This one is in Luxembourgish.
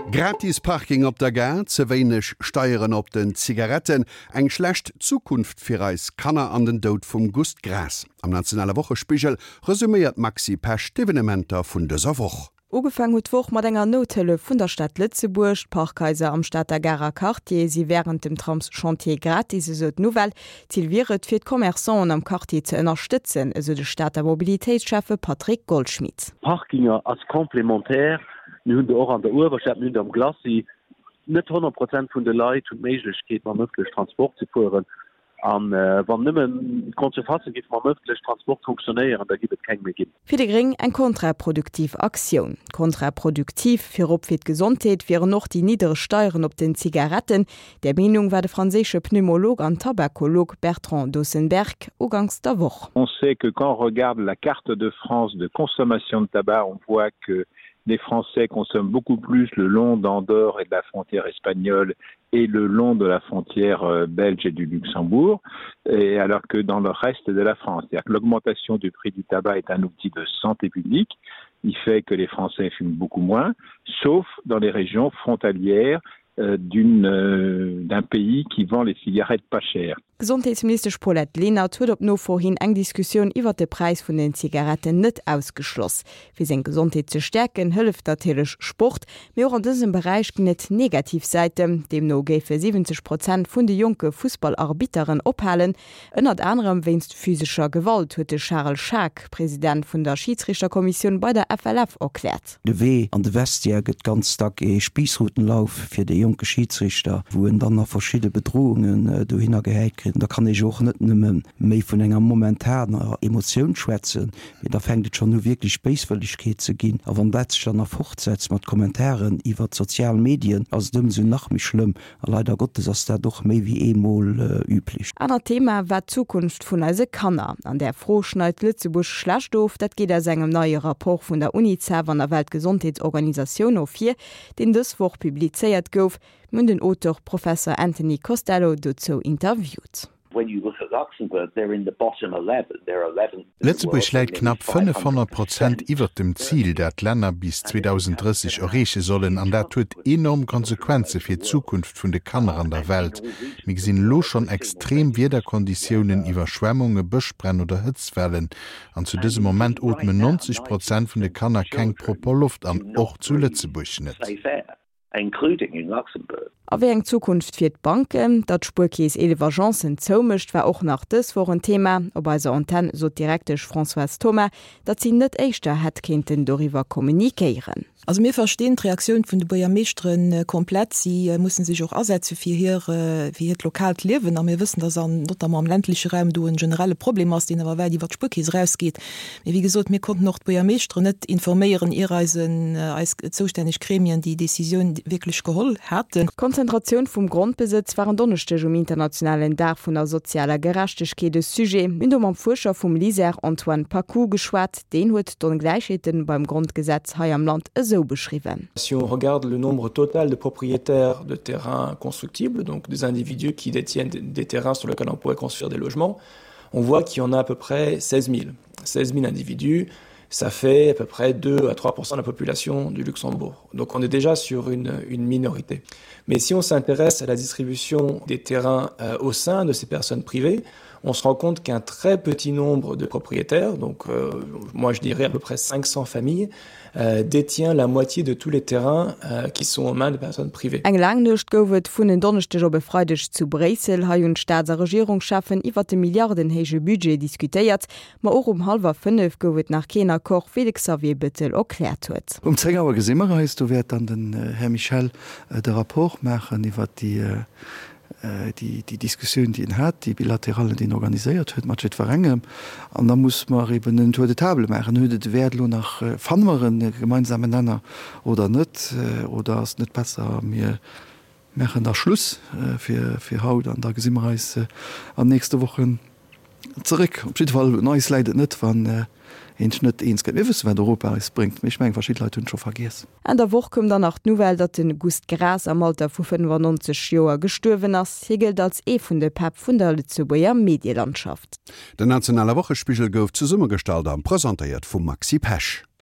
Gratis Parking op der Gare, ze wéineg Steieren op den Zigaretten, eng schlecht Zukunft fir eis Kanner an den Doud vum Gust Graas. Am nationale Wochespigel resuméiert d'Maxi Pesch d'Evenementer vun dëser Woch. Ugefaang huet d'Woch mat enger Nouthëllef vun der Stad Lëtzebuerg. D'Parkhaiser am Stater Garer Quartier si wärend dem Tramschantier gratis, esou d'Nouvelle. Zil wier et, fir d'Commerçanten am Quartier ze ënnerstëtzen, esou de Stater Mobilitéitsschäffe Patrick Goldschmidt. Parkinger als complémentaire, mir hunn der och an der Uewerstad, mir hunn der am Glacis. Net 100 Prozent vun de Leit hunn d'Méiglechkeet mam ëffentlechen Transport ze fueren. A wann nëmmen d'Grande Surfacë géife mam ëffentlechen Transport fonctionnéieren, da giff et keng méi ginn. Fir déi Gréng eng kontraproduktiv Aktioun. Kontraproduktiv, virop fir d'Gesondheet, wieren och déi niddereg Steieren op den Zigaretten. Där Meenung war de franséische Pneumolog an Tabakolog Bertrand Dautzenberg uganks der Woch. On sait que quand on regarde la carte de France de consommation de tabac, on voit que les Français consomment beaucoup plus le long d'Andorre et de la frontière espagnole et le long de la frontière euh, belge et du Luxembourg et alors que dans le reste de la France. L'augmentation du prix du tabac est un outil de santé publique. Il fait que les Français fument beaucoup moins, sauf dans les régions frontalières euh, euh, d'un pays qui vend les cigarettes pas cher. D'Gesondheetsministesch Paulette Lenert huet op Nofro hin eng Diskussioun iwwert de Präis vun den Zigaretten net ausgeschloss. Fir seng Gesondheet ze stäerken, hëlleft natierlech Sport, mee och an dësem Beräich ginn et negativ Säiten. Deemno géife 70 Prozent vun de jonke Fussballarbitteren ophalen, ënnert anerem wéinst physescher Gewalt, huet de Charel Schaack, President vun der Schidsrichterkommissioun bei der FLF, erkläert. De Wee an de Vestiaire gëtt ganz dack ee Spiissrutenlauf fir dee jonke Schidsrichter, wou en dann nach verschidde Bedrohungen dohinner gehäit kritt. Da kann ee jo och net nëmme méi vun enger momentaner Emotioun schwätzen, mee da fänkt et schonn u wierklech Béiswëllegkeet ze ginn. A wann dat sech dann nach fortsetzt mat Kommentaren iwwert d'sozial Medien, ass et ëmsou nach méi schlëmm. A leider Gottes ass dat och méi wéi eemol üblech. Anert Thema war d'Zukunft vun eise Kanner. An där Fro schneit Lëtzebuerg schlecht of. Dat geet aus engem neie Rapport vun der Unicef an der Weltgesondheetsorganisatioun ervir, deen dës Woch publizéiert gouf. Mir hunn den Auteur Professer Anthony Costello dozou interviewt. Lëtzebuerg läit knapp 500 Prozent iwwert dem Zil, dat d'Länner bis 2030 erreeche sollen. An dat huet enorm Konsequenze fir d'Zukunft vun de Kanner an der Welt. Mir gesinn elo schonn extrem Wiederkonditiounen, Iwwerschwemmunge, Bëschbränn oder Hëtztwellen. An zu dësem Moment ootmen 90 Prozent vun de Kanner keng propper Loft an, och zu Lëtzebuerg net. Including in Luxembourg. A wéi eng Zukunft fir d'Banken? Datt d'Spuerkeess 11 Agencen zoumécht, war och nach dës Woch en Thema. Op eiser Antenn sot d'Direktesch Françoise Thoma, datt si net éischter hätt kéinten doriwwer kommunikéieren. Also mir verstinn d'Reaktioun vun de Buergermeeschtere komplett. Si musse sech och asetze fir hir, fir hiert lokaalt Liewen. A mir wëssen, datt an, notamment am ländleche Raum do en generelle Problem ass, deen awer wäit iwwer d'Spuerkeess erausgeet. Mee wéi gesot, mir konnten och d'Buergermeeschteren net informéieren, ier eisen, eis zoustänneg Gremien déi Décisioun wierklech geholl haten. D'Konzentratioun vum Grondbesëtz war en Donneschdeg um internationalen Dag vun der sozialer Gerechtegkeet e Sujet. Mir hunn do mam Fuerscher vum LISER Antoine Paccoud geschwat. Deen huet d'Ongläichheeten beim Grondgesetz hei am Land esou beschriwwen. Si on regarde le nombre total de propriétaires de terrains constructibles, donc des individus qui détiennent des terrains sur lesquels on pourrait construire des logements, on voit qu'il y en a à peu près 16 000. 16 000 individus, ça fait à peu près 2 à 3 de la population du Luxembourg. Donc on est déjà sur une, une minorité. Mais si on s'intéresse à la distribution des terrains euh, au sein de ces personnes privées, on se rend compte qu'un très petit nombre de propriétaires, donc euh, moi je dirais à peu près 500 familles, euh, détient la moitié de tous les terrains euh, qui sont aux mains de personnes privées. Eng laang Nuecht gouf et vun en Donneschdeg op e Freideg zu Bréissel. Hei hunn d'Staats a Regierungscheffen iwwert de milliardenhéije Budget diskutéiert. Ma och um hallwer 5 gouf et nach keen Accord, wéi de Xavier Bettel erkläert huet. Um 10 Auer gesi mer eis. Do wäert dann den Här Michel de Rapport maachen iwwert déi déi Diskussioun, déi en hat, déi Bilaterale, déi en organiséiert huet mat jiddwerengem. An da muss mer eben en Tour de table maachen. Huet et e Wäert elo nach, fanne mer e gemeinsamen Nenner oder net? Oder ass et net besser, mir maachen da Schluss fir haut an da gesi mer eis an nächste Wochen Zeréck. Op jidde Fall, un eis läit et net, wann een sech net eens gëtt. Mir wëssen, wat Europa eis bréngt, mee ech mengen, verschidde Leit hunn et scho vergiess. Enn der Woch koum dann nach d'Nouvelle, datt de Gust Graas am Alter vu 95 Joer gestuerwen ass. Hie gëllt als ee vun de Päpp vun der Lëtzebuerger Medielandschaft. Den nationale Wochespigel gouf zesummegestallt a presentéiert vum Maxi Pesch.